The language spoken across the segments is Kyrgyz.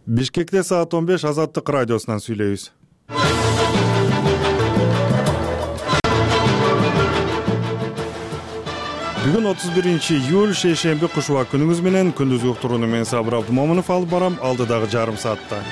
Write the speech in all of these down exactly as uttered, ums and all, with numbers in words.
Бишкекте саат он беш Азаттык радиосунан сүйлөйбүз. Бүгүн отуз биринчи июль шейшемби кушуба күнүңүз менен күндүзгү уктурууну мен Сабыр Абдумомунов алып барам алдыдагы жарым саатта.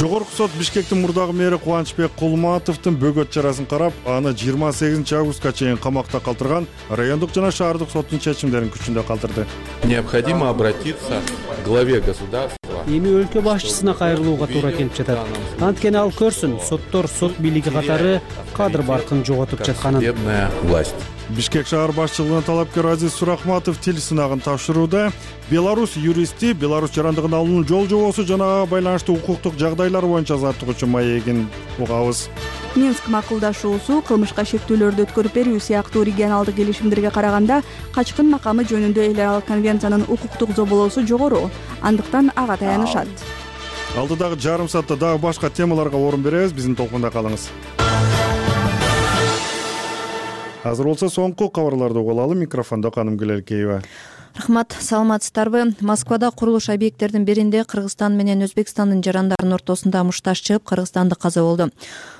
Жогорку сот Бишкектин мурдагы мэри Кубанычбек Кулматовдун бөгөт чарасын карап, аны жыйырма сегизинчи августка чейин камакта калтырган райондук жана шаардык соттун чечимдерин күчүндө калтырды. Необходимо обратиться к главе государства. Эми өлкө башчысына кайрылууга туура келип жатат. Анткени ал көрсүн, соттор, сот бийлиги катары кадр баркын жоготуп жатканын. Судебная власть. Бишкек шаар башчылыгынын талапкер Азиз Сурахматов тил сынагын тапшырууда Беларусь юристи Беларусь жарандыгын алуунун жол жобосу жана ага байланыштуу укуктук жагдайлар боюнча заттыгуучу маегин угабыз. Минск макулдашуусу кылмышка шектүүлөрдү өткөрүп берүү сыяктуу регионалдык келишимдерге караганда качкын макамы жөнүндө эл аралык конвенциянын укуктук зоболоосу жогору, андыктан ага таянышат. Алдыдагы жарым саатта дагы башка темаларга орун беребиз, биздин толкунда калыңыз. Азыр болсо соңку кабарларды угулалы, микрофондо Каным Гүлелкеева. Рахмат, саламатсыздарбы? Москвада курулуш объекттердин биринде Кыргызстан менен Өзбекстандын жарандарынын ортосунда мушташ чыгып, кыргызстандык каза болду.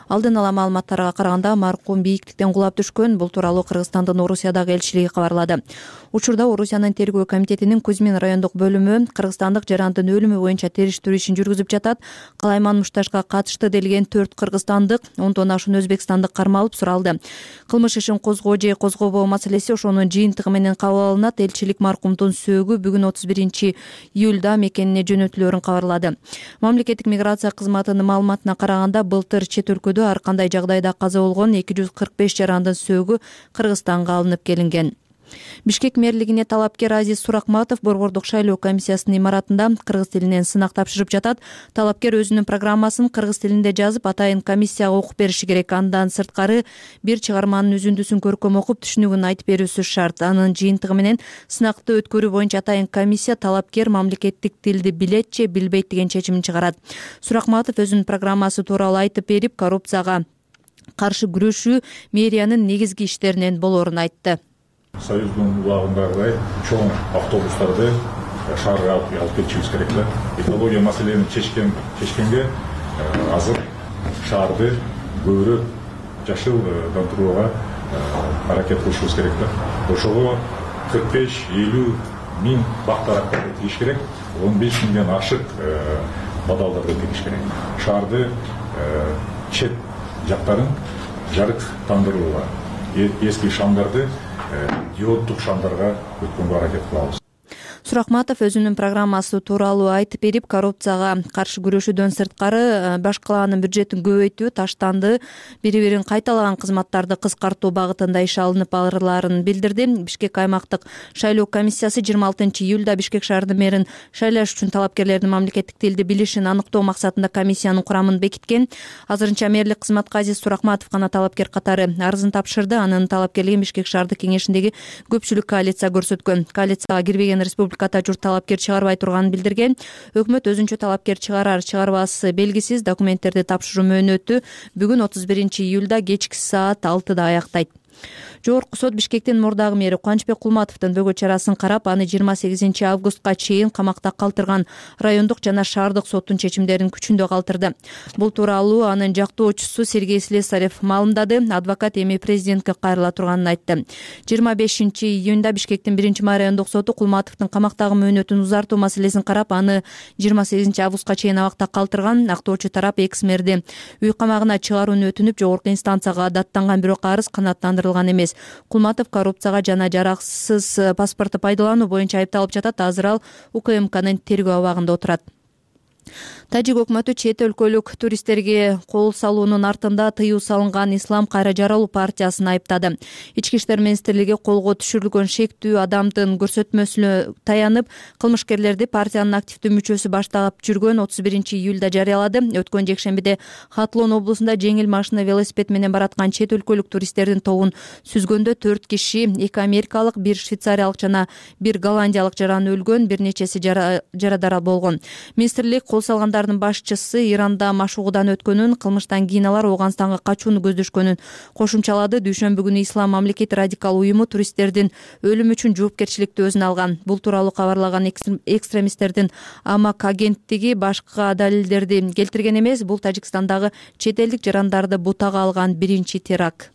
Алдын ала маалыматтарга караганда маркум бийиктиктен кулап түшкөн. Бул тууралуу Кыргызстандын Орусиядагы элчилиги кабарлады. Учурда Орусиянын тергөө комитетинин Кузьмин райондук бөлүмү кыргызстандык жарандын өлүмү боюнча териштирүү ишин жүргүзүп жатат. Калайман мушташка катышты делген төрт кыргызстандык, ондон ашуун өзбекстандык кармалып суралды. Кылмыш ишин козгоо же козгобоо маселеси ошонун жыйынтыгы менен кабыл алынат. Элчилик маркумдун сөөгү бүгүн отуз биринчи июлда мекенине жөнөтүлөөрүн кабарлады. Мамлекеттик миграция кызматынын маалыматына караганда былтыр чет өлкөдө ар кандай жагдайда каза болгон эки жүз кырк беш жарандын сөөгү Кыргызстанга алынып келинген. Бишкек мэрлигине талапкер Азиз Сурахматов борбордук шайлоо комиссиясынын имаратында кыргыз тилинен сынак тапшырып жатат. Талапкер өзүнүн программасын кыргыз тилинде жазып, атайын комиссияга окуп бериши керек. Андан сырткары бир чыгарманын үзүндүсүн көркөм окуп, түшүнүгүн айтып берүүсү шарт. Анын жыйынтыгы менен сынакты өткөрүү боюнча атайын комиссия талапкер мамлекеттик тилди билет же билбейт деген чечимин чыгарат. Сурахматов өзүнүн программасы тууралуу айтып берип, коррупцияга каршы күрөшүү мэриянын негизги иштеринен болоорун айтты. Союздун убагындагыдай чоң автобустарды шаарга алып келишибиз керек да. Экология маселени чечкен чечкенге азыр шаарды көбүрөөк жашылдандырууга аракет кылышыбыз керек да. Ошого кырк беш элүү миң бактарактарды тигиш керек, он беш миңден ашык бадалдарды тигиш керек. Шаарды чет жактарын жарыктандырууга, эски шамдарды диоддук шамдарга өткөнгө аракет кылабыз. Сурахматов өзүнүн программасы тууралуу айтып берип, коррупцияга каршы күрөшүүдөн сырткары баш калаанын бюджетин көбөйтүү, таштанды, бири-бирин кайталаган кызматтарды кыскартуу багытында иш алынып барларын билдирди. Бишкек аймактык шайлоо комиссиясы жыйырма алтынчы июлда Бишкек шаарынын мэрин шайлаш үчүн талапкерлердин мамлекеттик тилди билишин аныктоо максатында комиссиянын курамын бекиткен. Азырынча мэрлик кызматка Азиз Сурахматов гана талапкер катары арызын тапшырды. Анын талапкерлигин Бишкек шаардык кеңешиндеги көпчүлүк коалиция көрсөткөн. Коалицияга кирбеген республика журт талапкер чыгарбай турганын билдирген. Өкмөт өзүнчө талапкер чыгарар чыгарбасы белгисиз документтерди тапшыруу мөөнөтү бүгүн отуз биринчи июлда кечки саат алтыда аяктайт. Жогорку сот Бишкектин мурдагы мэри Кубанычбек Кулматовдун бөгөт чарасын карап, аны жыйырма сегизинчи августка чейин камакта калтырган райондук жана шаардык соттун чечимдерин күчүндө калтырды. Бул тууралуу анын жактоочусу Сергей Слесарев маалымдады. Адвокат эми президентке кайрыла турганын айтты. жыйырма бешинчи июнда Бишкектин биринчи райондук соту Кулматовдун камактагы мөөнөтүн узартуу маселесин карап, аны жыйырма сегизинчи августка чейин абакта калтырган. Актоочу тарап экс мэрди үй камагына чыгарууну өтүнүп, жогорку инстанцияга даттанган, бирок арыз канааттандырылган эмес. Кулматов коррупцияга жана жараксыз паспорту пайдалануу боюнча айыпталып жатат. Азыр ал УКМКнын тергөө абагында отурат. Тажик өкмөтү чет өлкөлүк туристтерге кол салуунун артында тыюу салынган Ислам кайра жаралуу партиясын айыптады. Ички иштер министрлиги колго түшүрүлгөн шектүү адамдын көрсөтмөсүнө таянып, кылмышкерлерди партиянын активдүү мүчөсү баштап жүргөн отуз биринчи июлда жарыялады. Өткөн жекшембиде Хатлон облусунда жеңил машина велосипед менен бараткан чет өлкөлүк туристтердин тобун сүзгөндө төрт киши, эки америкалык, бир швейцариялык жана бир голландиялык жаран өлгөн, бир нечеси жарадар болгон. Министрлик кол чогуу салгандардын башчысы Иранда машыгуудан өткөнүн, кылмыштан кийин алар Ооганстанга качууну көздөшкөнүн кошумчалады. Дүйшөмбү күнү Ислам мамлекети радикал уюму туристтердин өлүмү үчүн жоопкерчиликти өзүнө алган. Бул тууралуу кабарлаган экстремисттердин Амак агенттиги башка далилдерди келтирген эмес. Бул Тажикстандагы чет элдик жарандарды бутага алган биринчи теракт.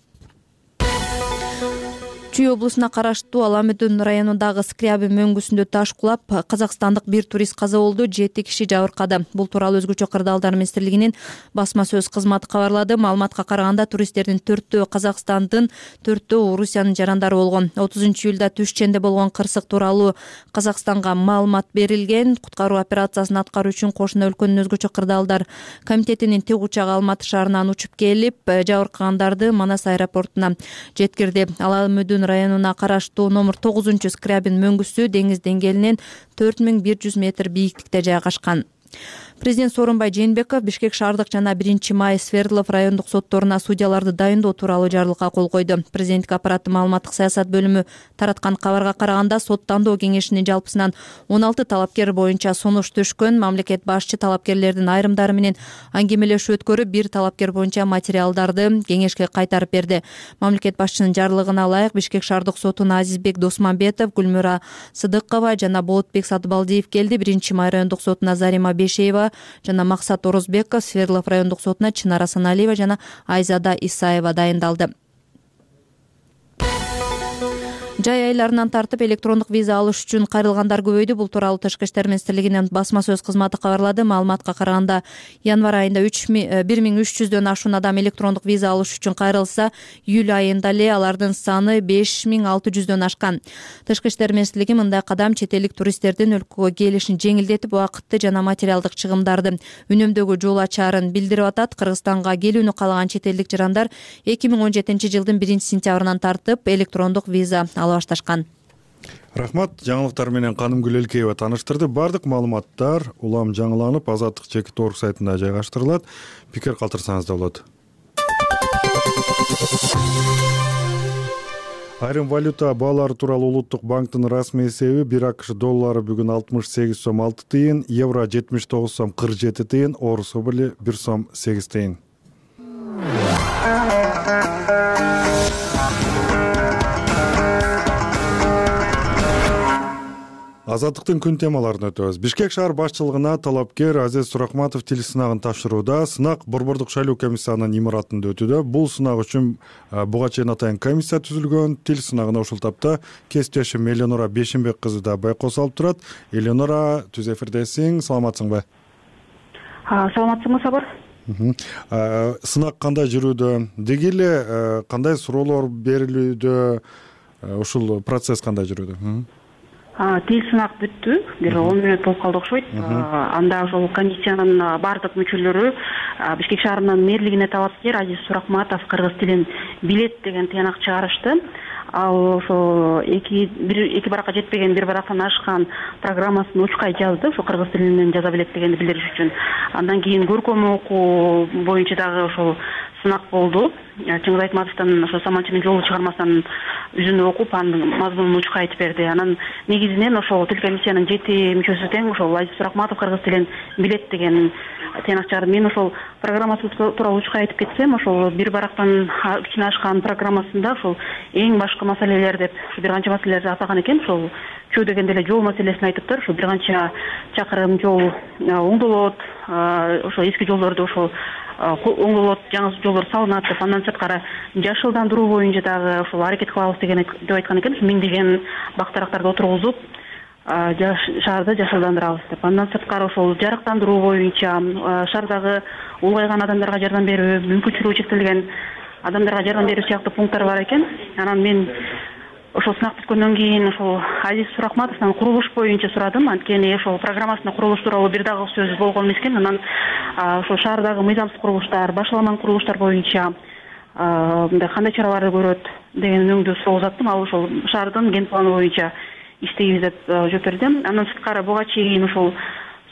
Чүй облусуна караштуу Аламүдүн районундагы Скрябин мөңгүсүндө таш кулап, казакстандык бир турист каза болду, жети киши жабыркады. Бул тууралуу Өзгөчө кырдаалдар министрлигинин басма сөз кызматы кабарлады. Маалыматка караганда туристтердин төртөө Казакстандын, төртөө Орусиянын жарандары болгон. отузунчу июлда Түшченде болгон кырсык тууралуу Казакстанга маалымат берилген. Куткаруу операциясын аткаруу үчүн кошуна өлкөнүн Өзгөчө кырдаалдар комитетинин тик учагы Алматы шаарынан учуп келип, жабыркагандарды Манас аэропортуна жеткирди. Аламүдүн районуна караштуу номер тогузунчу Скрябин мөңгүсү деңиз деңгээлинен төрт миң бир жүз метр бийиктикте жайгашкан. Президент Сооронбай Жээнбеков Бишкек шаардык жана биринчи май Свердлов райондук сотторуна судьяларды дайындоо тууралуу жарлыкка кол койду. Президенттик аппараттын маалыматтык саясат бөлүмү тараткан кабарга караганда, сот тандоо кеңешинин жалпысынан он алты талапкер боюнча сунуш түшкөн. Мамлекет башчы талапкерлердин айрымдары менен аңгемелешүү өткөрүп, бир талапкер боюнча материалдарды кеңешке кайтарып берди. Мамлекет башчынын жарлыгына ылайык Бишкек шаардык сотуна Азизбек Досмамбетов, Гүлмүра Сыдыкова жана Болотбек Сатыбалдиев келди. биринчи май райондук сотуна Зарима Бешеева жана Максат Орозбеков, Свердлов райондук сотуна Чынара Саналиева жана Айзада Исаева дайындалды. Жай айларынан тартып электрондук виза алыш үчүн кайрылгандар көбөйдү. Бул тууралуу Тышкы иштер министрлигинин басма сөз кызматы кабарлады. Маалыматка караганда, январь айында бир миң үч жүздөн ашуун адам электрондук виза алыш үчүн кайрылса, июль айында эле алардын саны беш миң алты жүздөн ашкан. Тышкы иштер министрлиги мындай кадам чет элдик туристтердин өлкөгө келишин жеңилдетип, убакытты жана материалдык чыгымдарды үнөмдөөгө жол ачаарын билдирип атат. Кыргызстанга келүүнү каалаган чет элдик жарандар эки миң он жетинчи жылдын биринчи сентябрынан тартып электрондук виза ала башташкан. Рахмат. Жаңылыктар менен Каным Гүлелкеева тааныштырды. Бардык маалыматтар улам жаңыланып, Азаттык чекит орг сайтында жайгаштырылат. Пикир калтырсаңыз да болот. Айрым валюта баалары тууралуу Улуттук банктын расмий эсеби: бир АКШ доллары бүгүн алтымыш сегиз сом алты тыйын, евро жетимиш тогуз сом кырк жети тыйын, орус рубли бир сом сегиз тыйын. Азаттыктын күн темаларына өтөбүз. Бишкек шаар башчылыгына талапкер Азиз Сурахматов тил сынагын тапшырууда. Сынак Борбордук шайлоо комиссиянын имаратында өтүүдө. Бул сынак үчүн буга чейин атайын комиссия түзүлгөн. Тил сынагына ушул тапта кесиптешим Элеонора Бешимбек кызы да байкоос алып турат. Элеонора, түз эфирдесиң, саламатсыңбы? Саламатсыңбы, Сабыр? Сынак кандай жүрүүдө? Деги эле кандай суроолор берилүүдө? Ушул процесс кандай жүрүүдө? Тил сынак бүттү, бир он мүнөт болуп калды окшойт. Анда ошол комиссиянын бардык мүчөлөрү Бишкек шаарынын мэрлигине талапкер Азиз Сурахматов кыргыз тилин билет деген тыянак чыгарышты. Ал ошо эки бир эки баракка жетпеген, бир барактан ашкан программасын учкай жазды, ошо кыргыз тилинен жаза билет дегенди билдириш үчүн. Андан кийин көркөм окуу боюнча дагы ошол сынак болду. Чыңгыз Айтматовдун ошо Саманчынын жолу чыгармасынан үзүнү окуп, анын мазмунун учкай айтып берди. Анан негизинен ошол тил комиссиянын жети мүчөсү тең ошол Азиз Сурахматов кыргыз тилин билет деген тыянак чыгарды. Мен ошол программасы тууралуу учкай айтып кетсем, ошол бир барактан кичине ашкан программасында ошол эң башкы маселелер деп бир канча маселелерди атаган экен. Ошол чөө дегенде эле жол маселесин айтыптыр. Ошо бир канча чакырым жол оңдолот, ошо эски жолдорду ошол оңдолот, жаңы жолдор салынат деп, андан сырткары жашылдандыруу боюнча дагы ошол аракет кылабыз деген деп айткан экен. Миңдеген бак-дарактарды отургузуп, шаарды жашылдандырабыз деп. Андан сырткары ошол жарыктандыруу боюнча шаардагы улгайган адамдарга жардам берүү, мүмкүнчүлүгү чектелген адамдарга жардам берүү сыяктуу пункттар бар экен. Анан мен ошол сынак бүткөндөн кийин ошол Азиз Сурахматовдон курулуш боюнча сурадым. Анткени ошол программасында курулуш тууралуу бир дагы сөз болгон эмес экен. Анан ошол шаардагы мыйзамсыз курулуштар, башаламан курулуштар боюнча мындай кандай чараларды көрөт деген өңдүү суроо узаттым. Ал ошол шаардын ген планы боюнча иштейбиз деп жооп берди. Андан сырткары буга чейин ошол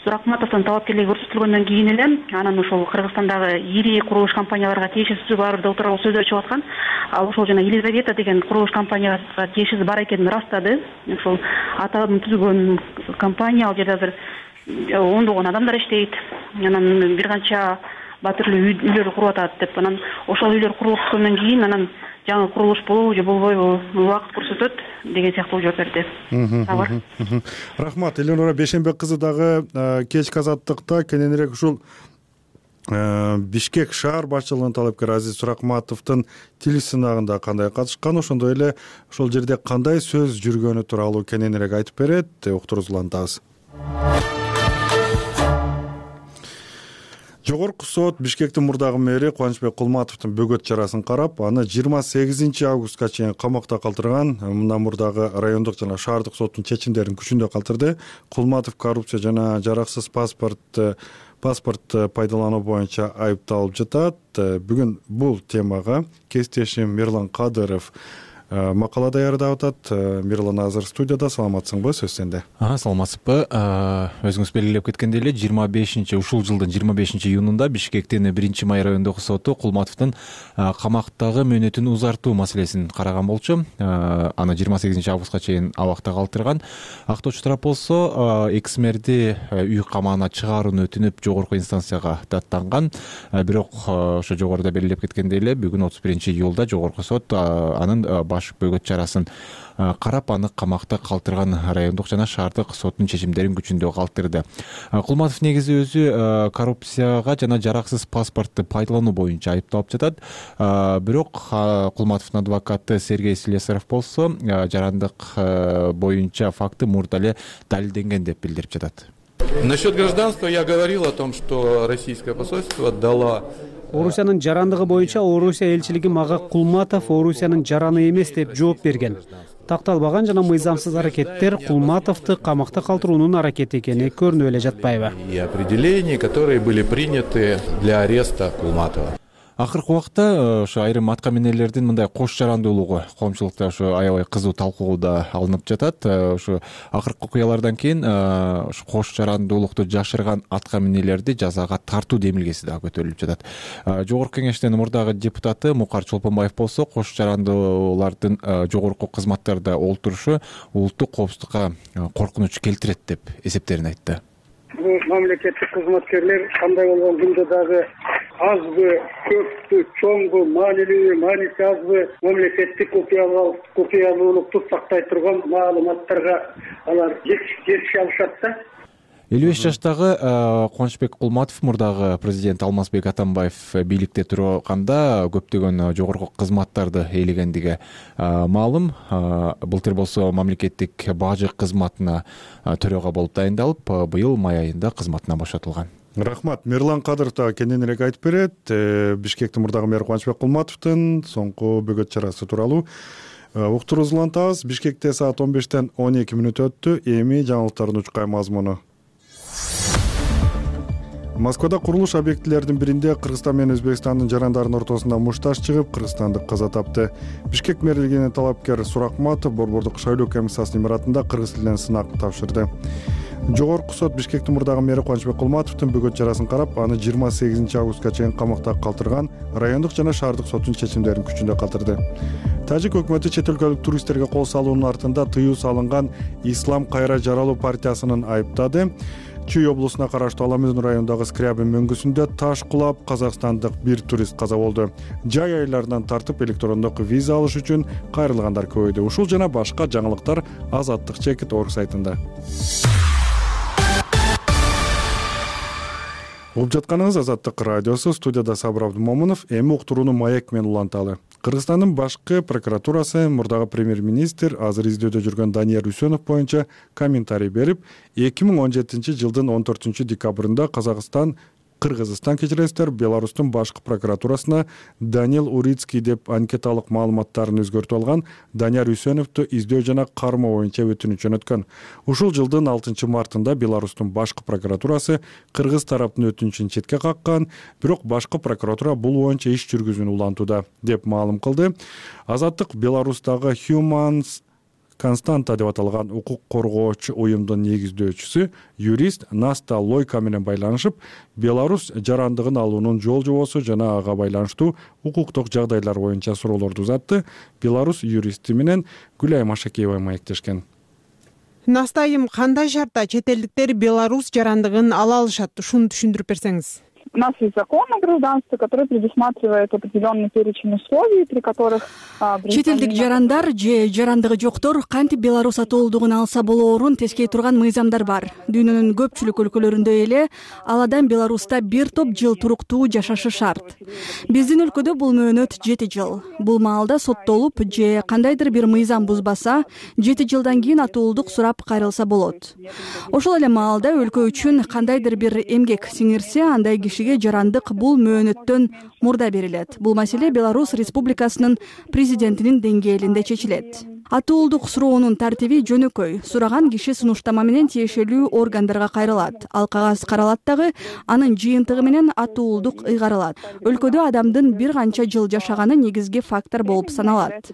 Сурахматовдун талапкерлиги көрсөтүлгөндөн кийин эле анан ошол Кыргызстандагы ири курулуш компанияларга тиешеси бар деп тууралуу сөздөр чыгып аткан. Ал ошол жана Елизавета деген курулуш компанияга тиешеси бар экенин ырастады. Ошол атаатын түзгөн компания, ал жерде азыр ондогон адамдар иштейт. анан бир канча батирлүү үйлөр куруп атат деп, анан ошол үйлөр курулуп бүткөндөн кийин анан жаңы курулуш болобу же болбойбу убакыт көрсөтөт деген сыяктуу жооп берди. Табар. Рахмат. Элнура Бейшенбек кызы дагы кечки азаттыкта кененирээк ушул Бишкек шаар башчылыгынын талапкери Азиз Суракматовдун тил сынагында кандай катышкан, ошондой эле ошол жерде кандай сөз жүргөнү тууралуу кененирээк айтып берет. Уктуруңуз улантабыз. Жогорку сот Бишкектин мурдагы мэри Кубанычбек Кулматовдун бөгөт чарасын карап, аны жыйырма сегизинчи августка чейин камакта калтырган. Мындан мурдагы райондук жана шаардык соттун чечимдерин күчүндө калтырды. Кулматов коррупция жана жараксыз паспорт паспорт пайдалануу боюнча айыпталып жатат. Бүгүн бул темага кесиптешим Мирлан Кадыров макала даярдап атат. Мирлан азыр студияда. Саламатсыңбы? Сөз сенде. Саламатсызбы. Өзүңүз белгилеп кеткендей эле жыйырма бешинчи ушул жылдын жыйырма бешинчи июнунда Бишкектин биринчи май райондук соту Кулматовдун камактагы мөөнөтүн узартуу маселесин караган болчу. Аны жыйырма сегизинчи августка чейин абакта калтырган. Актоочу тарап болсо экс мэрди үй камагына чыгарууну өтүнүп жогорку инстанцияга даттанган. Бирок ошо жогоруда белгилеп кеткендей эле бүгүн отуз биринчи июлда жогорку сот анын баш бөгөт чарасын карап, аны камакта калтырган райондук жана шаардык соттун чечимдерин күчүндө калтырды. Кулматов негизи өзү коррупцияга жана жараксыз паспортду пайдалануу боюнча айыпталып жатат. Бирок Кулматовдун адвокаты Сергей Слесарев болсо жарандык боюнча факты мурда эле далилденген деп билдирип жатат. Насчет гражданства я говорил о том, что российское посольство дало Орусиянын жарандыгы боюнча Орусия элчилиги мага Кулматов Орусиянын жараны эмес деп жооп берген. Такталбаган жана мыйзамсыз аракеттер Кулматовду камакта калтыруунун аракети экени көрүнүп эле жатпайбы? И определения, которые были приняты для ареста Кулматова. Акыркы убакта ошо айрым атка минерлердин мындай кош жарандуулугу коомчулукта ошо аябай кызуу талкууда алынып жатат. Ошо акыркы окуялардан кийин ошо кош жарандуулукту жашырган атка минерлерди жазага тартуу демилгеси дагы көтөрүлүп жатат. Жогорку кеңештин мурдагы депутаты Мукар Чолпонбаев болсо кош жарандуулардын жогорку кызматтарда олтурушу улуттук коопсуздукка коркунуч келтирет деп эсептерин айтты. Бул мамлекеттик кызматкерлер кандай болгон күндө дагы азбы, көппү, чоңбу, маанилүүбү, мааниси азбы мамлекеттик купуялуулукту сактай турган маалыматтарга алар жетише алышат да. элүү беш жаштагы Кубанычбек Кулматов мурдагы президент Алмазбек Атамбаев бийликте турганда көптөгөн жогорку кызматтарды ээлегендиги маалым. Былтыр болсо мамлекеттик бажы кызматына төрага болуп дайындалып, быйыл май айында кызматынан бошотулган. Рахмат. Мирлан Кадыров да кененирээк айтып берет. Бишкектин мурдагы мэр Кубанычбек Кулматовдун соңку бөгөт чарасы тууралуу уктуруңуз улантабыз. Бишкекте саат он бештен он эки мүнөт өттү. Эми жаңылыктардын учкай мазмуну. Москвада курулуш объектилеринин биринде Кыргызстан менен Өзбекстандын жарандарынын ортосунда мушташ чыгып, кыргызстандык каза тапты. Бишкек мэрлигинин талапкер Суракматов борбордук шайлоо комиссиясынын имаратында кыргыз тилинен сынак тапшырды. Жогорку сот Бишкектин мурдагы мэри Кубанычбек Кулматовдун бөгөт чарасын карап, аны жыйырма сегизинчи августка чейин камакта калтырган. Райондук жана шаардык соттун чечимдерин күчүндө калтырды. Тажик өкмөтү чет өлкөлүк туристтерге кол салуунун артында тыюу салынган Ислам кайра жаралуу партиясынын айыптады. Чүй облусуна караштуу Аламүзүн районундагы Скрябин мөңгүсүндө таш кулап казакстандык бир турист каза болду. Жай айларынан тартып электрондук виза алыш үчүн кайрылгандар көбөйдү. Ушул жана башка жаңылыктар Азаттык чекит орг сайтында. Угуп жатканыңыз Азаттык радиосу, студияда Сабыр Абдумомунов. Эми уктурууну маек менен уланталы. Кыргызстандын башкы прокуратурасы мурдагы премьер-министр азыр издөөдө жүргөн Данияр Үсөнов боюнча комментарий берип, эки миң он жетинчи жылдын он төртүнчү декабрында Казакстан Кыргызстан кечиресиздер Беларустун башкы прокуратурасына Даниил Урицкий деп анкеталык маалыматтарын өзгөртүп алган Данияр Үсөновду издөө жана кармоо боюнча өтүнүч жөнөткөн. Ушул жылдын алтынчы мартында Беларустун башкы прокуратурасы Кыргыз тараптын өтүнүчүн четке каккан, бирок башкы прокуратура бул боюнча иш жүргүзүүнү улантууда деп маалым кылды. Азаттык Беларустагы Humans Константа деп аталган укук коргоочу уюмдун негиздөөчүсү юрист Наста Лойка менен байланышып, Беларусь жарандыгын алуунун жол жобосу жана ага байланыштуу укуктук жагдайлар боюнча суроолорду узатты. Беларусь юристи менен Гүлай Машакеева маектешкен. Настайым, кандай шартта чет элдиктер Беларусь жарандыгын ала алышат? Ушуну түшүндүрүп берсеңиз. У нас есть закон о гражданстве, который предусматривает определенный перечень условий, при которых чет элдик жарандар же жарандыгы жоктор кантип Беларусь атоолдугун алса болоорун тескей турган мыйзамдар бар. Дүйнөнүн көпчүлүк өлкөлөрүндө эле ал адам Беларуста бир топ жыл туруктуу жашашы шарт. Биздин өлкөдө бул мөөнөт жети жыл. Бул маалда соттолуп же кандайдыр бир мыйзам бузбаса, жети жылдан кийин атоолдук сурап кайрылса болот. Ошол эле маалда өлкө үчүн кандайдыр бир эмгек сиңирсе, андай киши жарандык бул мөөнөттөн мурда берилет. Бул маселе Беларусь Республикасынын президентинин деңгээлинде чечилет. Атоолдук суроонун тартиби жөнөкөй. Сураган киши сунуштама менен тиешелүү органдарга кайрылат. Ал кагаз каралат дагы, анын жыйынтыгы менен атоолдук ыйгарылат. Өлкөдө адамдын бир канча жыл жашаганы негизги фактор болуп саналат.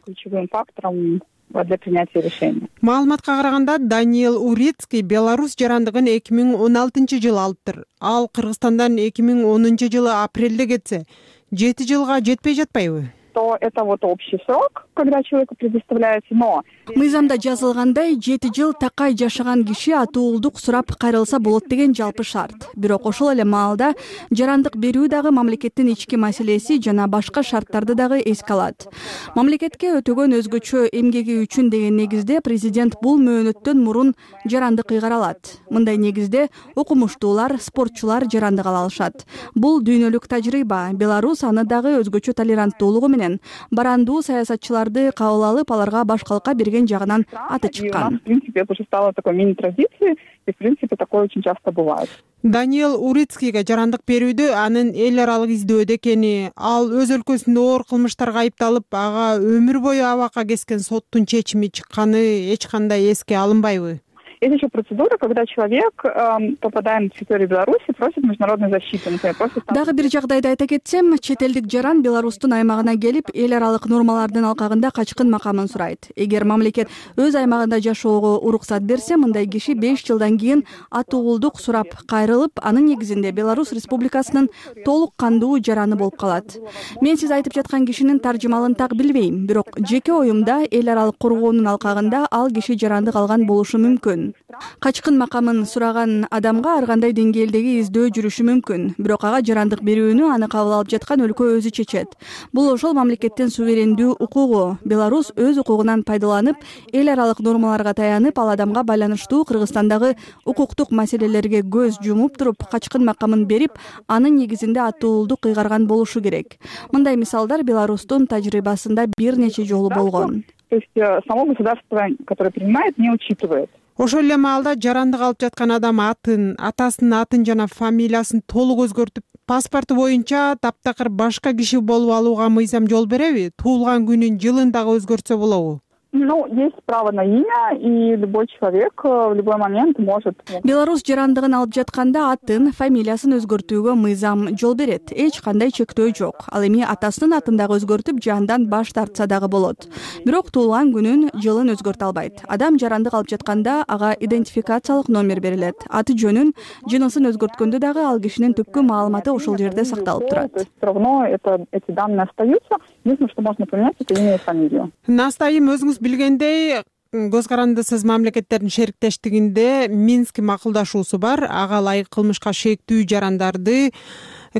Для принятия решения. Маалыматка караганда Даниэл Урицкий Беларусь жарандыгын эки миң он алтынчы жылы алыптыр. Ал Кыргызстандан эки миң онунчу жылы апрелде кетсе, жети жылга жетпей жатпайбы? То это вот общий срок, когда человеку предоставляется, но мыйзамда жазылгандай жети жыл такай жашаган киши атоолдук сурап кайрылса болот деген жалпы шарт. Бирок ошол эле маалда жарандык берүү дагы мамлекеттин ички маселеси жана башка шарттарды дагы эске алат. Мамлекетке өтөгөн өзгөчө эмгеги үчүн деген негизде президент бул мөөнөттөн мурун жарандык ыйгара алат. Мындай негизде окумуштуулар, спортчулар жарандык ала алышат. Бул дүйнөлүк тажрыйба. Беларусь аны дагы өзгөчө толеранттуулугу менен барандуу саясатчыларды кабыл алып, аларга баш калка берген жагынан аты чыккан. В принципе, это уже стало такой мини-традицией, и в принципе такое очень часто бывает. Даниэл Урицкийге жарандык берүүдө анын эл аралык издөөдө экени, ал өз өлкөсүндө оор кылмыштарга айыпталып, ага өмүр бою абакка кескен соттун чечими чыкканы эч кандай эске алынбайбы? Есть еще процедура, когда человек, э, попадая на территорию Беларуси, просит международной защиты. Например, просит... Дагы бир жагдайда айта кетсем, чет элдик жаран Беларустун аймагына келип, эл аралык нормалардын алкагында качкын макамын сурайт. Эгер мамлекет өз аймагында жашоого уруксат берсе, мындай киши беш жылдан кийин атоолдук сурап кайрылып, анын негизинде Беларусь Республикасынын толук кандуу жараны болуп калат. Мен сиз айтып жаткан кишинин таржымалын так билбейм, бирок жеке оюмда эл аралык коргоонун алкагында ал киши жарандык алган болушу мүмкүн. Качкын макамын сураган адамга ар кандай деңгээлдеги издөө жүрүшү мүмкүн, бирок ага жарандык берүүнү аны кабыл алып жаткан өлкө өзү чечет. Бул ошол мамлекеттин суверендүү укугу. Беларусь өз укугунан пайдаланып, эл аралык нормаларга таянып, ал адамга байланыштуу Кыргызстандагы укуктук маселелерге көз жумуп туруп, качкын макамын берип, анын негизинде атоолдук ыйгарган болушу керек. Мындай мисалдар Беларустун тажрыйбасында бир нече жолу болгон. То есть само государство, которое принимает, не учитывает. Ошол эле маалда жарандык алып жаткан адам атын, атасынын атын жана фамилиясын толук өзгөртүп, паспорту боюнча таптакыр башка киши болуп алууга мыйзам жол береби? Туулган күнүн, жылын дагы өзгөртсө болобу? Ну, есть право на имя, и любой человек в любой момент может... Беларусь жарандыгын алып жатканда атын, фамилиясын өзгөртүүгө мыйзам жол берет. Эч кандай чектөө жок. Ал эми атасынын атын дагы өзгөртүп, жандан баш тартса дагы болот. Бирок туулган күнүн, жылын өзгөртө албайт. Адам жарандык алып жатканда ага идентификациялык номер берилет. Аты жөнүн, жынысын өзгөрткөндө дагы ал кишинин түпкү маалыматы ошол жерде сакталып турат. То есть все равно это, эти данные остаются. Единственное, что можно поменять, это имя и фамилию. Настайым, өзүңүз билгендей, көз карандысыз мамлекеттердин шериктештигинде Минск макулдашуусу бар. Ага ылайык кылмышка шектүү жарандарды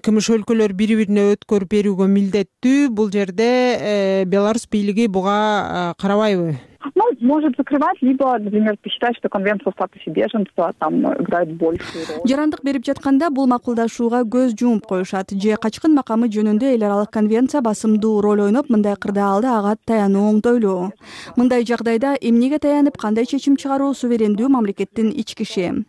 кымыш өлкөлөр бири-бирине өткөрүп берүүгө милдеттүү. Бул жерде Беларусь бийлиги буга карабайбы? Ну, может закрывать, либо, например, посчитать, что конвенция о статусе беженца там играет большую роль. Жарандык берип жатканда бул макулдашууга көз жумуп коюшат. Же качкын макамы жөнүндө эл аралык конвенция басымдуу роль ойноп, мындай кырдаалда ага таянуу оңдойлуу. Мындай жагдайда эмнеге таянып, кандай чечим чыгаруу суверендүү мамлекеттин ички иши.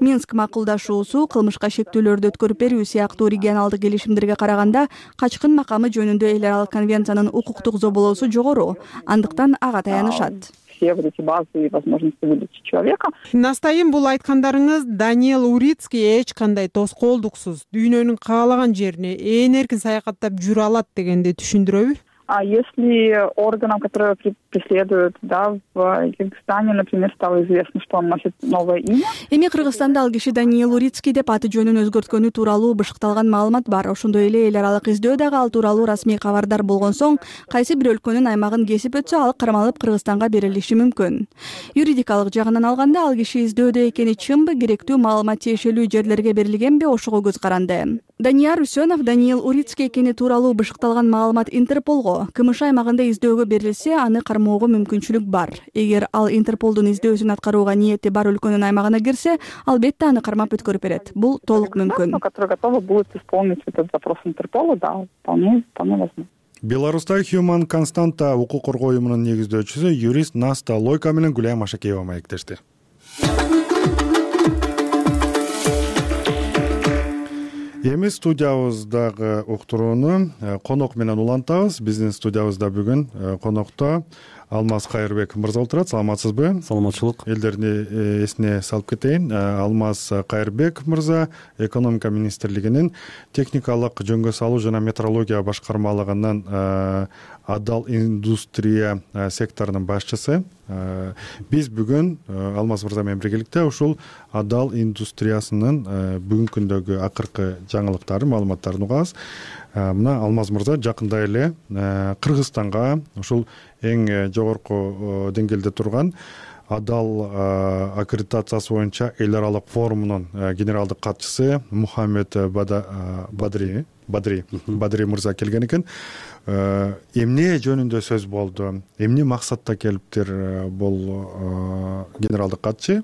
Минск макулдашуусу кылмышка шектүүлөрдү өткөрүп берүү сыяктуу регионалдык келишимдерге караганда качкын макамы жөнүндө эл аралык конвенциянын укуктук зоболоосу жогору, андыктан ага таянышат. Все вот эти базы и возможности выдачи человека. Настайым, бул айткандарыңыз Даниэл Урицкий эч кандай тоскоолдуксуз дүйнөнүн каалаган жерине ээн эркин саякаттап жүрө алат дегенди түшүндүрөбү? А если органам, которые преследуют, да, в Кыргызстане, например, стало известно, что он носит новое имя. Эми Кыргызстанда ал киши Даниил Урицкий деп аты жөнүн өзгөрткөнү тууралуу бышыкталган маалымат бар. Ошондой эле эл аралык издөө дагы ал тууралуу расмий кабардар болгон соң кайсы бир өлкөнүн аймагын кесип өтсө, ал кармалып Кыргызстанга берилиши мүмкүн. Юридикалык жагынан алганда ал киши издөөдө экени чынбы, керектүү маалымат тиешелүү жерлерге берилгенби, ошого көз каранды. Данияр Үсөнов Даниил Урицкий экени тууралуу бышыкталган маалымат Интерполго, КМШ аймагында издөөгө берилсе, аны кармоого мүмкүнчүлүк бар. Эгер ал Интерполдун издөөсүн аткарууга ниети бар өлкөнүн аймагына кирсе, албетте аны кармап өткөрүп берет. Бул толук мүмкүн. Которые готовы будут исполнить этот запрос Интерпола, да, вполне, вполне возможно. Беларуста Human Constanta укук коргоо уюмунун негиздөөчүсү юрист Наста Лойка менен Гүлайым Ашакеева маектешти. Эми студиябыздагы уктурууну конок менен улантабыз. Биздин студиябызда бүгүн конокто Алмаз Кайырбек мырза отурат. Саламатсызбы? Саламатчылык. Элдерди эсине салып кетейин. Алмаз Кайырбек мырза экономика министрлигинин техникалык жөнгө салуу жана метрология башкармалыгынын адал индустрия секторунун башчысы. Биз бүгүн Алмаз мырза менен биргеликте ушул адал индустриясынын бүгүнкү күндөгү акыркы жаңылыктарын, маалыматтарын угабыз. Мына Алмаз мырза жакында эле Кыргызстанга ушул эң жогорку деңгээлде турган адал аккредитациясы боюнча эл аралык форумунун генералдык катчысы Мухаммед Бадри Бадри Бадри мырза келген экен. Эмне жөнүндө сөз болду? Эмне максатта келиптир бул генералдык катчы?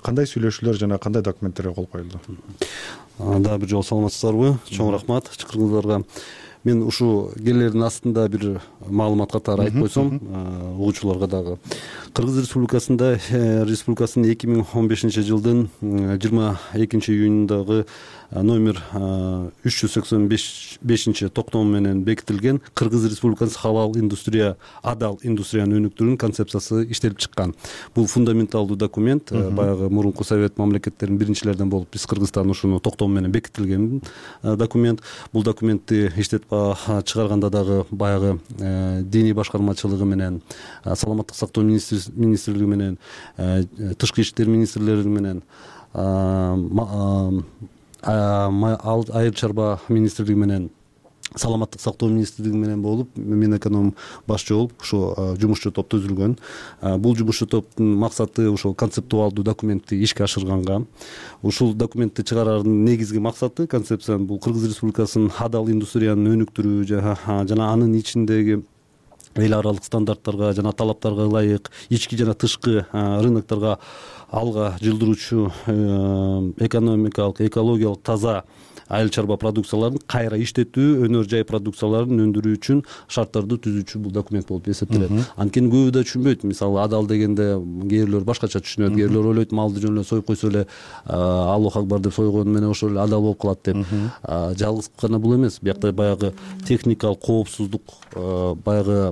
Кандай сүйлөшүүлөр жана кандай документтерге кол коюлду? Дагы бир жолу саламатсыздарбы? Чоң рахмат чакыргыңыздарга. Мен ушу келердин астында бир маалымат катары айтып койсом, угуучуларга дагы. Кыргыз Республикасында республикасынын эки миң он бешинчи жылдын жыйырма экинчи июнундагы номер үч жүз сексен бешинчи токтому менен бекитилген Кыргыз Республикасынын халал индустрия, адал индустрияны өнүктүрүүнүн концепциясы иштелип чыккан. Бул фундаменталдуу документ. Баягы мурунку совет мамлекеттеринин биринчилеринен болуп биз Кыргызстан ушуну токтому менен бекитилген документ. Бул документти иштетип чыгарганда дагы баягы диний башкармачылыгы менен, саламаттык сактоо министрлиги менен, тышкы иштер министрлери менен, айыл чарба министрлиги менен, саламаттык сактоо министрлиги менен болуп, мен эконом башчы болуп, ушу жумушчу топ түзүлгөн. Бул жумушчу топтун максаты ушул концептуалдуу документти ишке ашырганга. Ушул документти чыгараардын негизги максаты, концепциянын бул Кыргыз Республикасынын адал индустрияны өнүктүрүү жана анын ичиндеги эл аралык стандарттарга жана талаптарга ылайык ички жана тышкы рынокторго алга жылдыруучу экономикалык, экологиялык таза айыл чарба продукцияларын кайра иштетүү, өнөр жай продукцияларын өндүрүү үчүн шарттарды түзүүчү бул документ болуп эсептелет. Анткени көбү да түшүнбөйт. Мисалы адал дегенде кээ бирлер башкача түшүнөт, кээ бирлер ойлойт малды жөн эле союп койсо эле Аллах акбар деп сойгону менен ошол эле адал болуп калат деп. Жалгыз гана бул эмес. Биякта баягы техникалык коопсуздук, баягы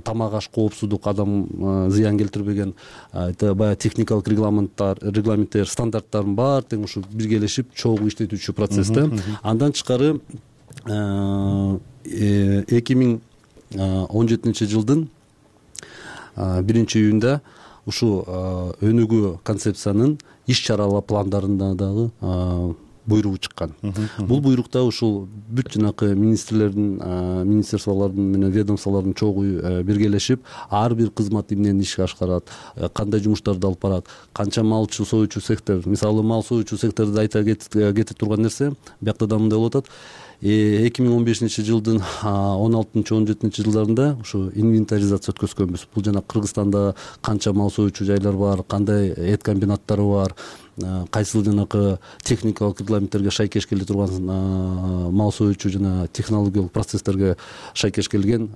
тамак аш коопсуздук, адам зыян келтирбеген баягы техникалык регламенттер, регламенттер, стандарттардын баары тең ушу биргелешип чогуу иштетүүчү процессте. Андан тышкары эки миң он жетинчи жылдын биринчи июнда ушу өнүгүү концепциянын иш чаралар пландарында дагы буйругу чыккан. Бул буйрукта ушул бүт жанакы министрлердин, министрлиялардын менен ведомстволордун чогуу биргелешип, ар бир кызмат эмнени ишке ашкарат, кандай жумуштарды алып барат, канча малчы союучу сектор, мисалы мал союучу секторду айта кетип турган нерсе, биякта да мындай болуп атат. эки миң он бешинчи жылдын он алтынчы он жетинчи жылдарында ушу инвентаризация өткөзгөнбүз. Бул жана Кыргызстанда канча мал союучу жайлар бар, кандай эт комбинаттары бар, кайсыл жанакы техникалык регламенттерге шайкеш келе турган мал союучу жана технологиялык процесстерге шайкеш келген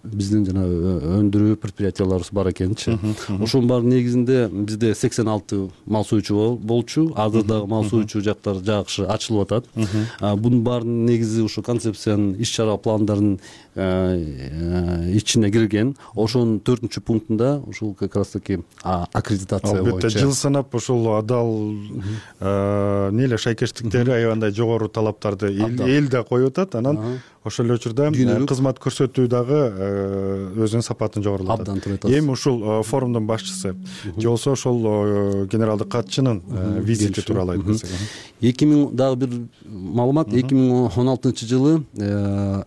биздин жана өндүрүү предприятияларыбыз бар экенчи. Ошонун баардын негизинде бизде сексен алты мал союучу болчу, азыр дагы мал союучу жактар жакшы ачылып атат. Бунун баардын негизи ушу концепциянын иш чара пландарын ичине кирген. Ошонун төртүнчү пунктунда ушул как раз таки аккредитация боюнча албетте жыл санап ушул адал эмне эле шайкештиктери аябандай жогору талаптарды эл да коюп атат. Анан ошол эле учурда кызмат көрсөтүү дагы өзүнүн сапатын жогорулатат. Абдан туура айтасыз. Эми ушул форумдун башчысы же болбосо ошол генералдык катчынын визити тууралуу айтып берсек. эки миң дагы бир маалымат, эки миң он алтынчы жылы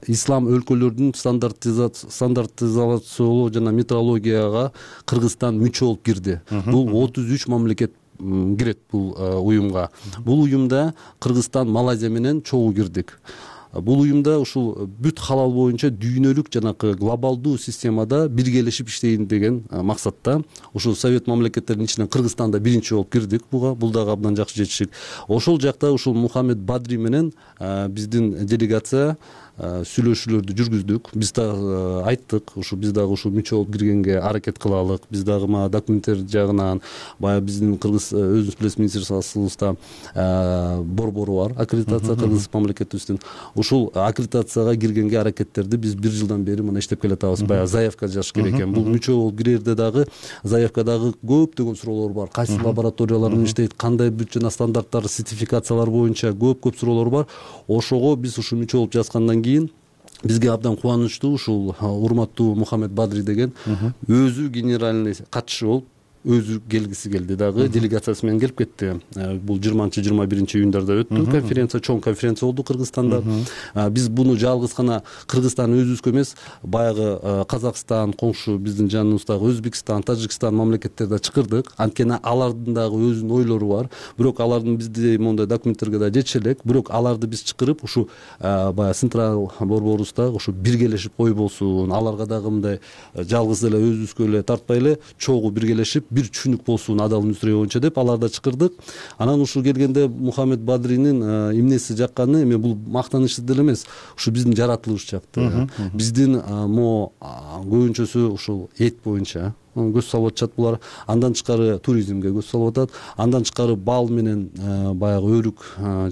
ислам өлкөлөрүнүн стандартизациялоо жана метрологияга Кыргызстан мүчө болуп кирди. Бул отуз үч мамлекет кирет бул уюмга. Бул уюмда Кыргызстан, Малайзия менен чогуу кирдик. Бул уюмда ушул бүт халал боюнча дүйнөлүк жанакы глобалдуу системада биргелешип иштейин деген максатта ушул совет мамлекеттеринин ичинен Кыргызстанда биринчи болуп кирдик буга. Бул дагы абдан жакшы жетишик. Ошол жакта ушул Мухаммед Бадри менен биздин делегация сүйлөшүүлөрдү жүргүздүк. Биз да айттык, ушу биз дагы ушул мүчө болуп киргенге аракет кылалык. Биз дагы мына документтер жагынан баягы биздин Кыргыз өзүңүз билесиз министрликибызда борбору бар, аккредитация Кыргыз мамлекетибиздин. Ушул аккредитацияга киргенге аракеттерди биз бир жылдан бери мына иштеп келатабыз. Баягы заявка жазыш керек экен. Бул мүчө болуп кирерде дагы заявкадагы көптөгөн суроолор бар. Кайсы лабораториялар менен иштейт, кандай бүт жана стандарттар, сертификациялар боюнча көп-көп суроолор бар. Ошого биз ушул мүчө болуп жазгандан кийин бизге абдан кубанычтуу ушул урматтуу Мухаммед Бадри деген өзү генеральный катчы болуп өзү келгиси келди дагы, делегациясы менен келип кетти. Бул жыйырманчы жыйырма биринчи июндарда өттү конференция, чоң конференция болду Кыргызстанда. Биз буну жалгыз гана Кыргызстан өзүбүзгө эмес, баягы Казакстан, коңшу биздин жаныбыздагы Өзбекстан, Тажикстан мамлекеттерде чакырдык. Анткени алардын дагы өзүнүн ойлору бар. Бирок алардын бизде мондай документтерге да жетише элек. Бирок аларды биз чакырып, ушу баягы централ борборубузда ушу биргелешип ой болсун, аларга дагы мындай жалгыз эле өзүбүзгө эле тартпай эле чогуу биргелешип бир түшүнүк болсун адал индустрия боюнча деп аларды чакырдык. Анан ушул келгенде Мухаммед Бадринин эмнеси жакканы, эми бул мактаныч деле эмес, ушу биздин жаратылыш жакты. Биздин мо көбүнчөсү ушул эт боюнча көз салып атышат булар. Андан тышкары туризмге көз салып атат. Андан тышкары бал менен баягы өрүк,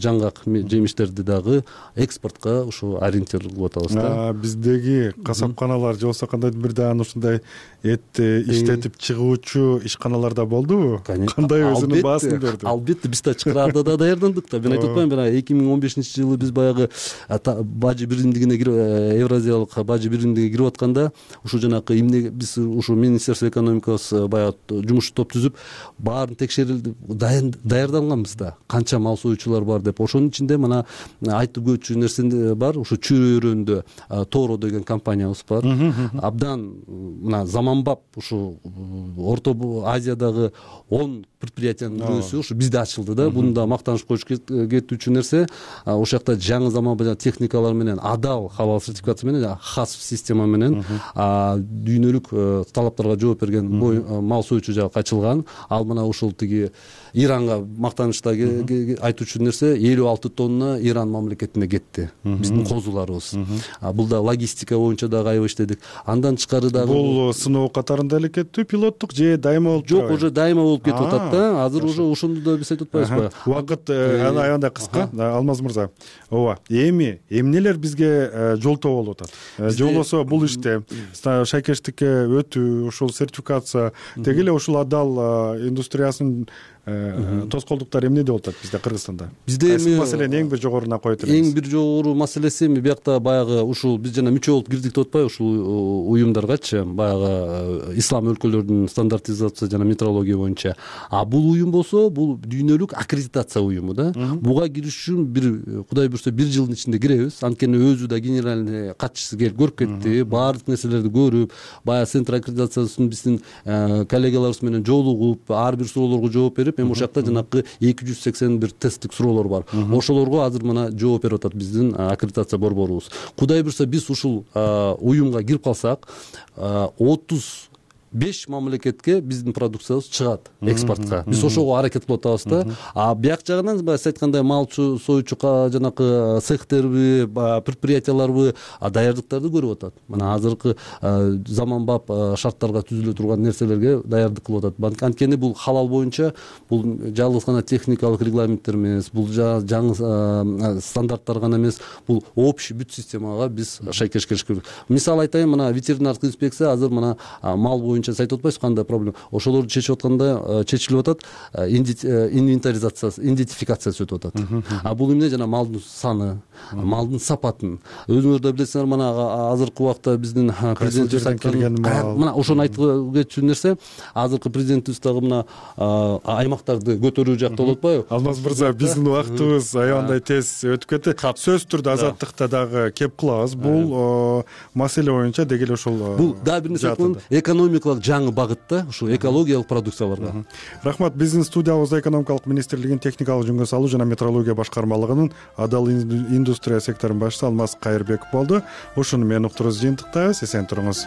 жаңгак жемиштерди дагы экспортко ушу ориентир кылып атабыз да. Биздеги касапканалар же болбосо кандайдыр бир даан ушундай этти иштетип чыгуучу ишканалар да болдубу? Кандай өзүнүн баасын берди? Албетте, биз да чакыраарда да даярдандык да. Мен айтып атпаймынбы, бана эки миң он бешинчи жылы биз баягы бажы биримдигине Евразиялык бажы биримдигине кирип атканда ушу жанакы эмне биз ушу министерство экономикасы баягы жумуш топ түзүп баарын текшерилди, даярданганбыз да. Канча мал союучулар бар деп. Ошонун ичинде мына айтып өтчү нерсе бар. Ушу Чүрөөрөндө Торо деген компаниябыз бар. Абдан мына заманбап ушу Орто Азиядагы он предприятиянын бирөөсү ушу бизде ачылды да. Буну да мактаныш коюш кетүүчү нерсе. Ошол жакта жаңы заманбап техникалар менен, адал халал сертификаты менен, хас система менен дүйнөлүк талаптарга жооп берген мал союучу жагы ачылган. Ал мына ушул тиги Иранга мактанычта айтуучу нерсе элүү алты тонна Иран мамлекетине кетти. Биздин козуларыбыз. Бул да логистика боюнча дагы аябай иштедик. Андан тышкары дагы бул сыноо катарында эле кеттү, пилоттук же дайыма болуп жок, уже дайыма болуп кетип атат да. Азыр уже ошондо да биз айтып атпайбызбы? Убакыт аябай кыска. Алмаз мырза, ооба, эми эмнелер бизге жолтоо болуп атат? Же болбосо бул иште шайкештикке өтүү, ушул сертификация, теги эле ушул адал индустриясынын тоскоолдуктары эмнеде болуп атат бизде Кыргызстанда? Бизде эми маселени эң бир жогоруна коет элебиз. Эң бир жогору маселеси эми биякта баягы ушул биз жана мүчө болуп кирдик деп атпайбы ушул уюмдаргачы, баягы ислам өлкөлөрүнүн стандартизация жана метрология боюнча. А бул уюм болсо бул дүйнөлүк аккредитация уюму да. Буга кириш үчүн бир Кудай буйрса бир жылдын ичинде киребиз. Анткени өзү да генеральный катчысы келип көрүп кетти, баардык нерселерди көрүп, баягы центр аккредитациясын биздин коллегаларыбыз менен жолугуп, ар бир суроолорго жооп берип, эми ошол жакта жанакы эки жүз сексен бир тесттик суроолор бар. Ошолорго азыр мына жооп берип атат биздин аккредитация борборубуз. Кудай буйрса биз ушул уюмга кирип калсак, отуз беш мамлекетке биздин продукциябыз чыгат экспортко. Биз ошого аракет кылып атабыз да. А бияк жагынан баягы айткандай мал союучу жанакы цехтерби, предприятияларбы даярдыктарды көрүп атат. Мына азыркы заманбап шарттарга түзүлө турган нерселерге даярдык кылып атат. Анткени бул халал боюнча бул жалгыз гана техникалык регламенттер эмес, бул жаңы стандарттар гана эмес, бул общий бүт системага биз шайкеш келиш керек. Мисал айтайын, мына ветеринардык инспекция азыр мына мал боюнча айтып атпайсызбы кандай проблема. Ошолорду чечип атканда чечилип атат, инвентаризациясы, идентификациясы өтүп атат. А бул эмне жана малдын саны, малдын сапатын. Өзүңөр да билесиңер, мына азыркы убакта биздин президентибиз айткан мына ошону айтып кетчү нерсе, азыркы президентибиз дагы мына аймактарды көтөрүү жакта болуп атпайбы? Алмаз мырза, биздин убактыбыз аябандай тез өтүп кетти. Сөзсүз түрдө азаттыкта дагы кеп кылабыз. Бул маселе боюнча деги эле ошол бул дагы бир нерсе айткан экономикалык жаңы багытта ушу экологиялык продукцияларга. Рахмат. Биздин студиябызда экономикалык министрлигинин техникалык жөнгө салуу жана метрология башкармалыгынын адал индустрия секторунун башчысы Алмаз Кайырбеков болду. Ушуну менен уктуруубузду жыйынтыктайбыз. Эсен туруңуз.